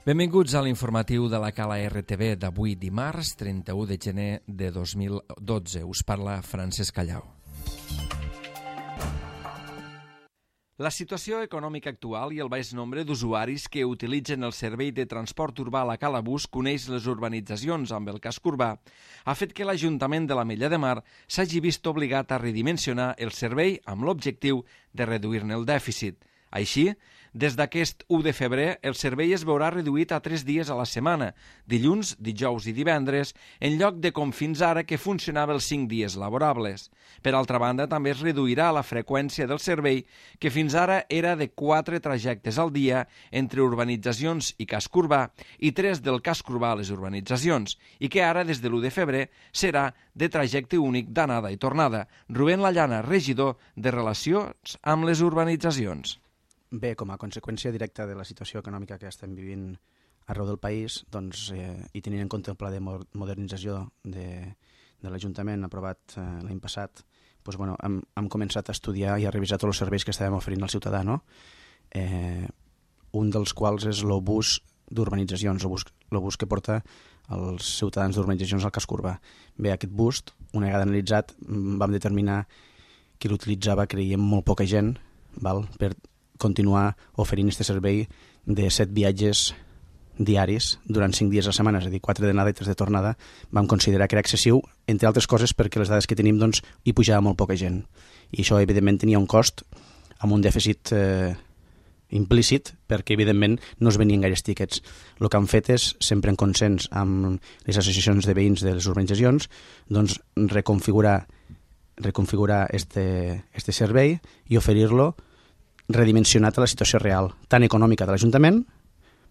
Benvinguts a l'informatiu de la Cala RTV d'avui dimarts 31 de gener de 2012. Us parla Francesc Callau. La situació econòmica actual i el baix nombre d'usuaris que utilitzen el servei de transport urbà a la Cala Bus coneix les urbanitzacions amb el casc urbà ha fet que l'Ajuntament de l'Ametlla de Mar s'hagi vist obligat a redimensionar el servei amb l'objectiu de reduir-ne el dèficit. Així, des d'aquest 1 de febrer, el servei es veurà reduït a 3 dies a la setmana, dilluns, dijous i divendres, en lloc de com fins ara que funcionava els 5 dies laborables. Per altra banda, també es reduirà la freqüència del servei, que fins ara era de 4 trajectes al dia entre urbanitzacions i casc urbà i 3 del casc urbà a les urbanitzacions, i que ara, des de l'1 de febrer, serà de trajecte únic d'anada i tornada. Rubén Lallana, regidor de Relacions amb les Urbanitzacions. Bé, com a conseqüència directa de la situació econòmica que estem vivint arreu del país, doncs, i tenint en compte el pla de modernització de l'Ajuntament aprovat l'any passat, doncs, hem començat a estudiar i a revisar tots els serveis que estàvem oferint al ciutadà, no? Un dels quals és l'obús d'urbanitzacions, l'obús que porta els ciutadans d'urbanitzacions al casc urbà. Bé, aquest bus, una vegada analitzat, vam determinar que l'utilitzava, creiem, molt poca gent, per continuar oferint aquest servei de 7 viatges diaris durant 5 dies a la setmana, és a dir, 4 d'anada i 3 de tornada. Vam considerar que era excessiu, entre altres coses perquè les dades que tenim doncs, hi pujava molt poca gent. I això, evidentment, tenia un cost amb un dèficit implícit perquè, evidentment, no es venien gaires tíquets. El que han fet és, sempre en consens amb les associacions de veïns de les urbanitzacions, doncs, reconfigurar este servei i oferir-lo redimensionat a la situació real, tant econòmica de l'Ajuntament,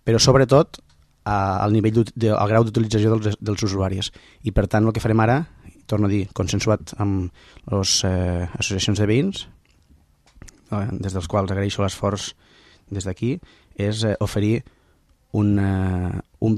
però sobretot al grau d'utilització dels usuaris. I per tant el que farem ara, torno a dir, consensuat amb les associacions de veïns, des dels quals agraeixo l'esforç des d'aquí, és oferir un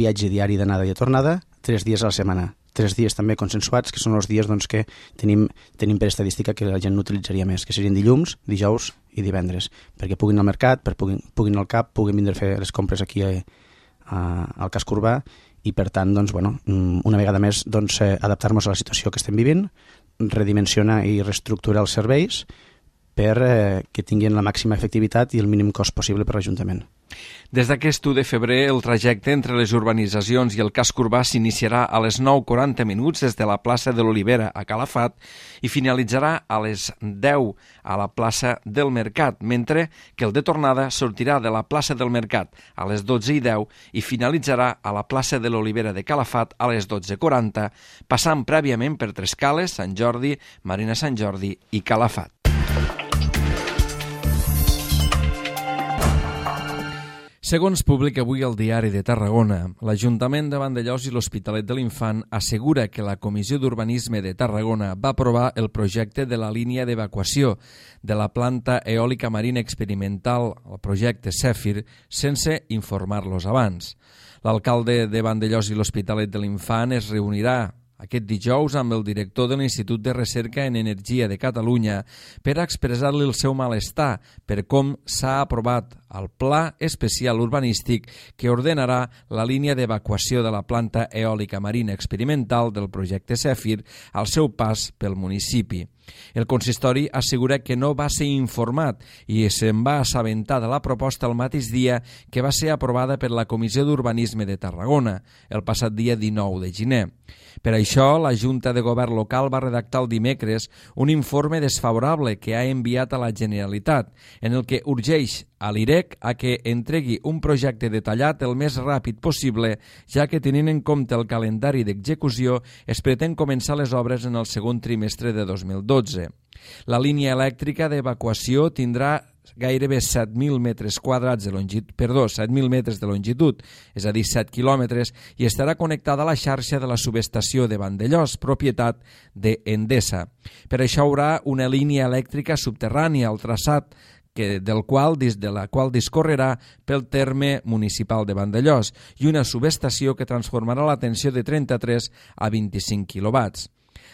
viatge diari d'anada i de tornada 3 dies a la setmana. 3 dies també consensuats, que són els dies doncs, que tenim per estadística que la gent no utilitzaria més, que serien dilluns, dijous i divendres, perquè puguin al mercat, puguin al CAP, puguin vindre a fer les compres aquí al casc urbà i, per tant, doncs, una vegada més, doncs, adaptar-nos a la situació que estem vivint, redimensionar i reestructurar els serveis per que tinguin la màxima efectivitat i el mínim cost possible per l'Ajuntament. Des d'aquest 1 de febrer, el trajecte entre les urbanitzacions i el casc urbà s'iniciarà a les 9:40 des de la plaça de l'Olivera a Calafat i finalitzarà a les 10 a la plaça del Mercat, mentre que el de tornada sortirà de la plaça del Mercat a les 12:10 i finalitzarà a la plaça de l'Olivera de Calafat a les 12:40, passant prèviament per Trescales, Sant Jordi, Marina Sant Jordi i Calafat. Segons publica avui el Diari de Tarragona, l'Ajuntament de Vandellòs i l'Hospitalet de l'Infant assegura que la Comissió d'Urbanisme de Tarragona va aprovar el projecte de la línia d'evacuació de la planta eòlica marina experimental, el projecte Zèfir, sense informar-los abans. L'alcalde de Vandellòs i l'Hospitalet de l'Infant es reunirà aquest dijous amb el director de l'Institut de Recerca en Energia de Catalunya per a expressar-li el seu malestar per com s'ha aprovat el Pla Especial Urbanístic que ordenarà la línia d'evacuació de la planta eòlica marina experimental del projecte Zèfir al seu pas pel municipi. El consistori assegura que no va ser informat i se'n va assabentar de la proposta el mateix dia que va ser aprovada per la Comissió d'Urbanisme de Tarragona, el passat dia 19 de gener. Per això, la Junta de Govern local va redactar el dimecres un informe desfavorable que ha enviat a la Generalitat, en el que urgeix a l'IREC a que entregui un projecte detallat el més ràpid possible, ja que tenint en compte el calendari d'execució es pretén començar les obres en el segon trimestre de 2012. La línia elèctrica d'evacuació tindrà gairebé 7.000 metres de longitud, és a dir, 7 quilòmetres, i estarà connectada a la xarxa de la subestació de Vandellòs, propietat d'Endesa. Per això hi haurà una línia elèctrica subterrània al traçat de la qual discorrerà pel terme municipal de Vandellòs i una subestació que transformarà la tensió de 33 a 25 quilowatts.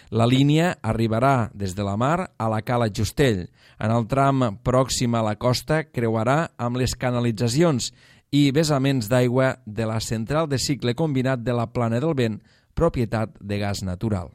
La línia arribarà des de la mar a la Cala Justell. En el tram pròxim a la costa creuarà amb les canalitzacions i vessaments d'aigua de la central de cicle combinat de la Plana del Vent, propietat de Gas Natural.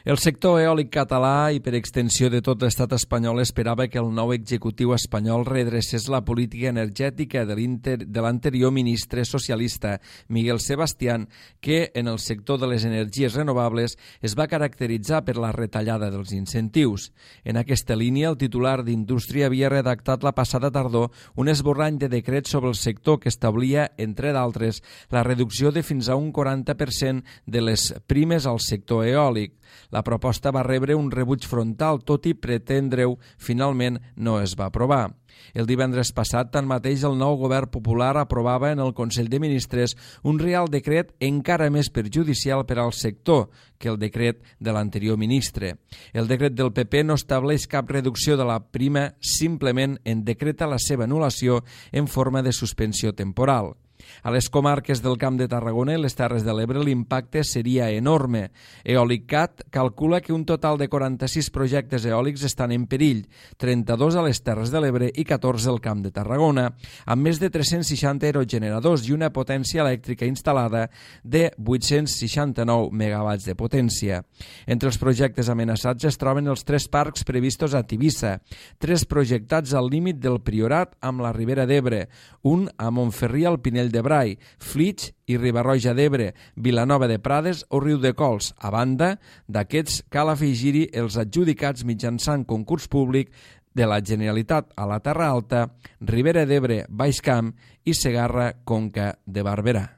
El sector eòlic català i per extensió de tot l'estat espanyol esperava que el nou executiu espanyol redrecés la política energètica de l'anterior ministre socialista Miguel Sebastián, que en el sector de les energies renovables es va caracteritzar per la retallada dels incentius. En aquesta línia, el titular d'Indústria havia redactat la passada tardor un esborrany de decret sobre el sector que establia, entre d'altres, la reducció de fins a un 40% de les primes al sector eòlic. La proposta va rebre un rebuig frontal, tot i pretendre-ho, finalment no es va aprovar. El divendres passat, tanmateix, el nou govern popular aprovava en el Consell de Ministres un Reial Decret encara més perjudicial per al sector que el decret de l'anterior ministre. El decret del PP no estableix cap reducció de la prima, simplement en decreta la seva anul·lació en forma de suspensió temporal. A les comarques del Camp de Tarragona i les Terres de l'Ebre l'impacte seria enorme. EòlicCat calcula que un total de 46 projectes eòlics estan en perill, 32 a les Terres de l'Ebre i 14 al Camp de Tarragona, amb més de 360 aerogeneradors i una potència elèctrica instal·lada de 869 megawatts de potència. Entre els projectes amenaçats es troben els 3 parcs previstos a Tivissa, 3 projectats al límit del Priorat amb la Ribera d'Ebre, un a Montferri al Pinell de Brai, Flix i Riba-roja d'Ebre, Vilanova de Prades o Riudecols. A banda d'aquests, cal afegir-hi els adjudicats mitjançant concurs públic de la Generalitat a la Terra Alta, Ribera d'Ebre, Baix Camp i Segarra-Conca de Barberà.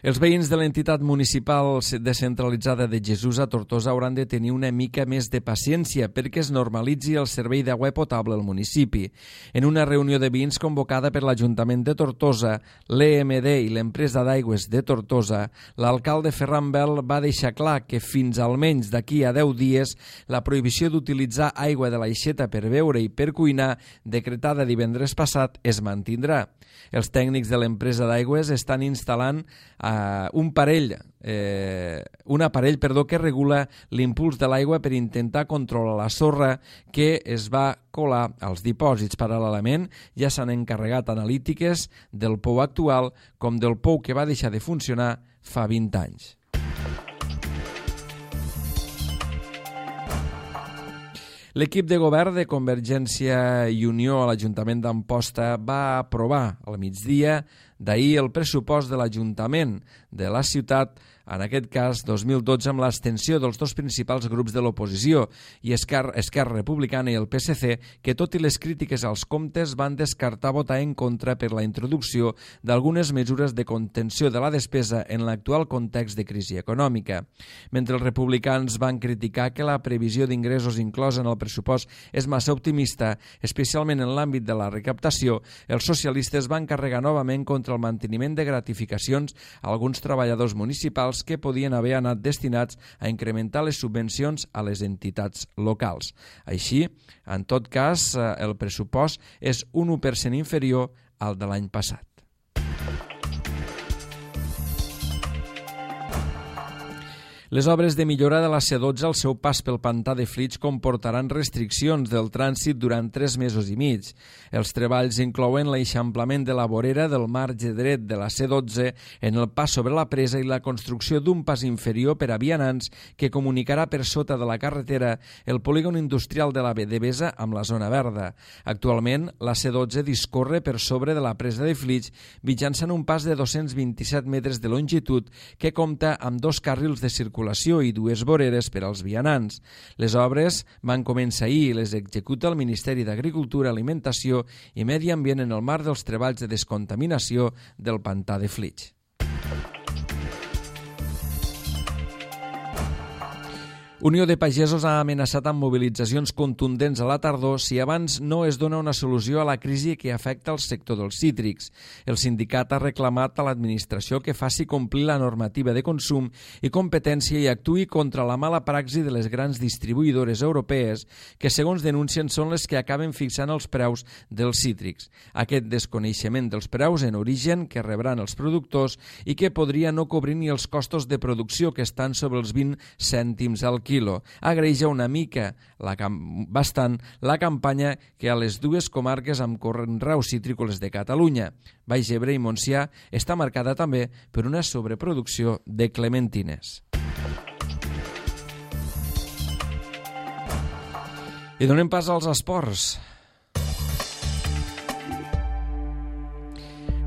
Els veïns de l'entitat municipal descentralitzada de Jesús a Tortosa hauran de tenir una mica més de paciència perquè es normalitzi el servei d'aigua potable al municipi. En una reunió de veïns convocada per l'Ajuntament de Tortosa, l'EMD i l'empresa d'aigües de Tortosa, l'alcalde Ferran Bel va deixar clar que fins almenys d'aquí a 10 dies la prohibició d'utilitzar aigua de l'aixeta per beure i per cuinar, decretada divendres passat, es mantindrà. Els tècnics de l'empresa d'aigües estan instal·lant un aparell que regula l'impuls de l'aigua per intentar controlar la sorra que es va colar als dipòsits. Paral·lelament, ja s'han encarregat analítiques del pou actual com del pou que va deixar de funcionar fa 20 anys. L'equip de govern de Convergència i Unió a l'Ajuntament d'Amposta va aprovar al migdia d'ahir el pressupost de l'Ajuntament de la ciutat, en aquest cas 2012, amb l'abstenció dels dos principals grups de l'oposició i Esquerra Republicana i el PSC, que tot i les crítiques als comptes van descartar votar en contra per la introducció d'algunes mesures de contenció de la despesa en l'actual context de crisi econòmica. Mentre els republicans van criticar que la previsió d'ingressos inclosa en el pressupost és massa optimista, especialment en l'àmbit de la recaptació, els socialistes van carregar novament contra el manteniment de gratificacions a alguns treballadors municipals que podien haver anat destinats a incrementar les subvencions a les entitats locals. Així, en tot cas, el pressupost és un 1% inferior al de l'any passat. Les obres de millora de la C12 al seu pas pel pantà de Flix comportaran restriccions del trànsit durant 3 mesos i mig. Els treballs inclouen l'eixamplament de la vorera del marge dret de la C12 en el pas sobre la presa i la construcció d'un pas inferior per a vianants que comunicarà per sota de la carretera el polígon industrial de la Devesa amb la zona verda. Actualment, la C12 discorre per sobre de la presa de Flix mitjançant un pas de 227 metres de longitud que compta amb 2 carrils de circulació i 2 voreres per als vianants. Les obres van començar ahir i les executa el Ministeri d'Agricultura, Alimentació i Medi Ambient en el marc dels treballs de descontaminació del pantà de Flix. Unió de Pagesos ha amenaçat amb mobilitzacions contundents a la tardor si abans no es dona una solució a la crisi que afecta el sector dels cítrics. El sindicat ha reclamat a l'administració que faci complir la normativa de consum i competència i actuï contra la mala praxi de les grans distribuïdores europees que, segons denuncien, són les que acaben fixant els preus dels cítrics. Aquest desconeixement dels preus en origen que rebran els productors i que podria no cobrir ni els costos de producció, que estan sobre els 20 cèntims al quilo, agreuja una mica, bastant, la campanya que a les dues comarques amb conreus citrícoles de Catalunya, Baix Ebre i Montsià, està marcada també per una sobreproducció de clementines. I donem pas als esports.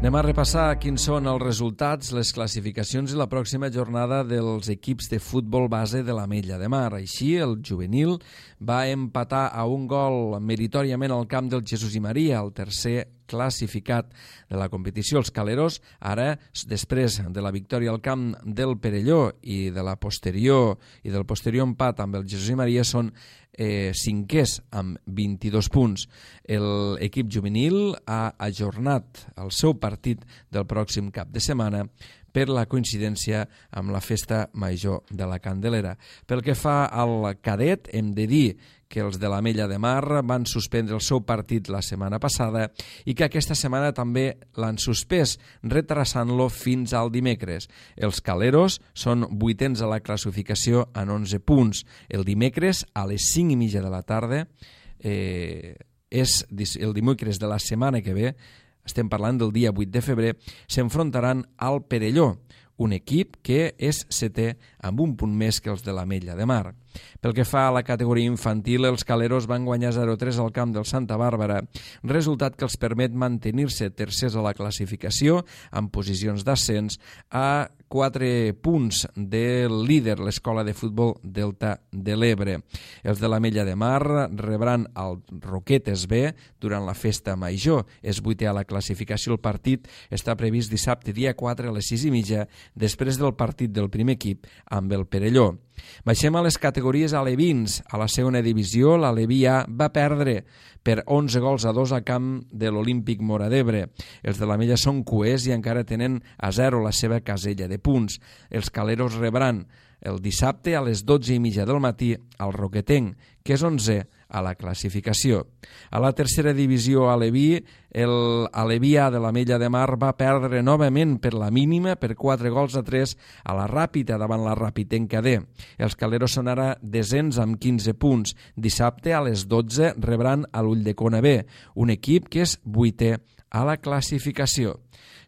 Anem a repassar quins són els resultats, les classificacions i la pròxima jornada dels equips de futbol base de l'Ametlla de Mar. Així, el juvenil va empatar a un gol meritoriament al camp del Jesús i Maria, el tercer classificat de la competició. Els caleros, ara, després de la victòria al camp del Perelló i del posterior empat amb el Jesús i Maria, són cinquers amb 22 punts. L'equip juvenil ha ajornat el seu partit del pròxim cap de setmana per la coincidència amb la festa major de la Candelera. Pel que fa al cadet, hem de dir que els de l'Ametlla de Mar van suspendre el seu partit la setmana passada i que aquesta setmana també l'han suspès, retrasant-lo fins al dimecres. Els caleros són vuitens a la classificació en 11 punts. El dimecres, a les 5:30 de la tarda, és el dimecres de la setmana que ve, estem parlant del dia 8 de febrer, s'enfrontaran al Perelló, un equip que és setè amb un punt més que els de l'Ametlla de Mar. Pel que fa a la categoria infantil, els caleros van guanyar 0-3 al camp del Santa Bàrbara, resultat que els permet mantenir-se tercers a la classificació amb posicions d'ascens a 4 punts del líder, l'escola de futbol Delta de l'Ebre. Els de l'Ametlla de Mar rebran el Roquetes B durant la festa major. És vuitè a la classificació. El partit està previst dissabte, dia 4, a les 6:30, després del partit del primer equip amb el Perelló. Baixem a les categories alevins. A la segona divisió, l'Aleví A va perdre per 11-2 a camp de l'Olímpic Móra d'Ebre. Els de l'Ametlla són cuers i encara tenen a 0 la seva casella de punts. Els caleros rebran el dissabte a les 12:30 del matí al Roquetenc, que és 11è a la classificació. A la tercera divisió aleví, l'Aleví A de l'Ametlla de Mar va perdre novament per la mínima, per 4-3 a la Ràpita davant la Ràpitenca D. Els caleros són ara desens amb 15 punts. Dissabte a les 12 rebran a l'Ulldecona B, un equip que és vuitè a la classificació.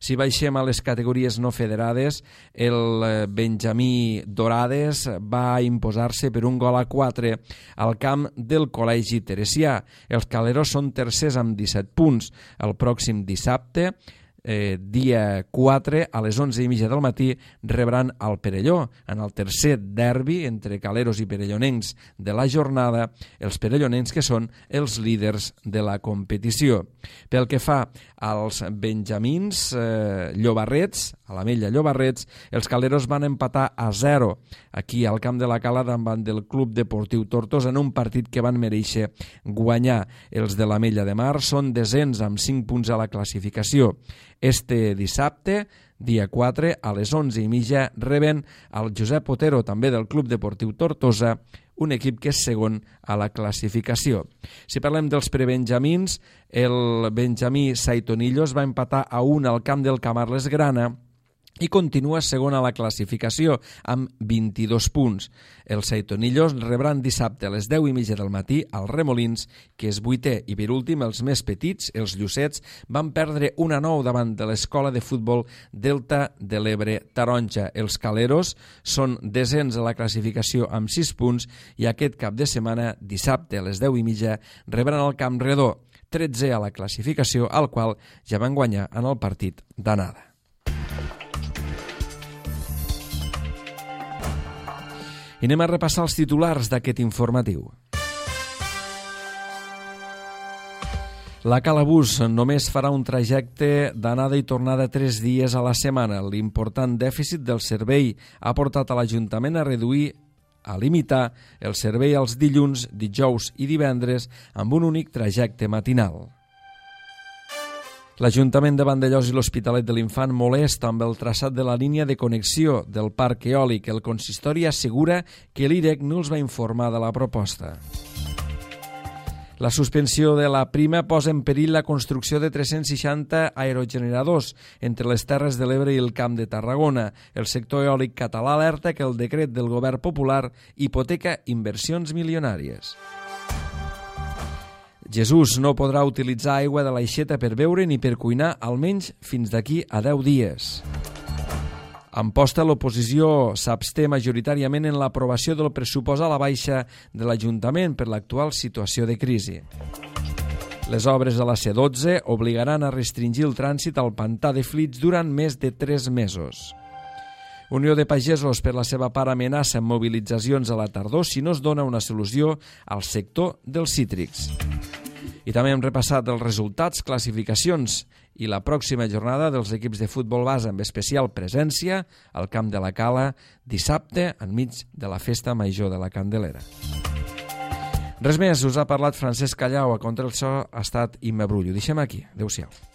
Si baixem a les categories no federades, el Benjamí Dorades va imposar-se per 1-4 al camp del Col·legi Teresià. Els caleros són tercers amb 17 punts. El pròxim dissabte, dia 4, a les 11:30 del matí, rebran el Perelló. En el tercer derbi entre caleros i perellonencs de la jornada, els perellonencs que són els líders de la competició. Pel que fa als benjamins llobarrets, a l'Ametlla Llobarrets, els caleros van empatar a 0 aquí al camp de la Cala davant del Club Deportiu Tortosa en un partit que van mereixer guanyar. Els de l'Ametlla de Mar són desens amb 5 punts a la classificació. Este dissabte, dia 4, a les 11:30, reben el Josep Otero, també del Club Deportiu Tortosa, un equip que és segon a la classificació. Si parlem dels prebenjamins, el benjamí Saitonillos va empatar a 1 al camp del Camarles Grana i continua segon a la classificació amb 22 punts. Els Saitonillos rebran dissabte a les 10:30 del matí als Remolins, que és vuitè, i per últim els més petits, els Llucets, van perdre 1-9 davant de l'escola de futbol Delta de l'Ebre Taronja. Els caleros són desens a la classificació amb 6 punts i aquest cap de setmana, dissabte a les 10:30, rebran el Camp Redó, 13è a la classificació, al qual ja van guanyar en el partit d'anada. I anem a repassar els titulars d'aquest informatiu. La Calabús només farà un trajecte d'anada i tornada 3 dies a la setmana. L'important dèficit del servei ha portat a l'Ajuntament a reduir a limitar el servei als dilluns, dijous i divendres amb un únic trajecte matinal. L'Ajuntament de Vandellòs i l'Hospitalet de l'Infant molesta amb el traçat de la línia de connexió del parc eòlic. El consistori assegura que l'IREC no els va informar de la proposta. La suspensió de la prima posa en perill la construcció de 360 aerogeneradors entre les Terres de l'Ebre i el Camp de Tarragona. El sector eòlic català alerta que el decret del govern popular hipoteca inversions milionàries. Jesús no podrà utilitzar aigua de l'aixeta per beure ni per cuinar almenys fins d'aquí a 10 dies. Amposta, l'oposició s'absté majoritàriament en l'aprovació del pressupost a la baixa de l'Ajuntament per l'actual situació de crisi. Les obres a la C12 obligaran a restringir el trànsit al pantà de Flix durant més de 3 mesos. Unió de Pagesos, per la seva part, amenaça amb mobilitzacions a la tardor si no es dona una solució al sector dels cítrics. I també hem repassat els resultats, classificacions i la pròxima jornada dels equips de futbol base amb especial presència al Camp de la Cala dissabte enmig de la festa major de la Candelera. Res més, us ha parlat Francesc Callau, a contra el so ha estat Imma Brull. Ho deixem aquí. Adéu-siau.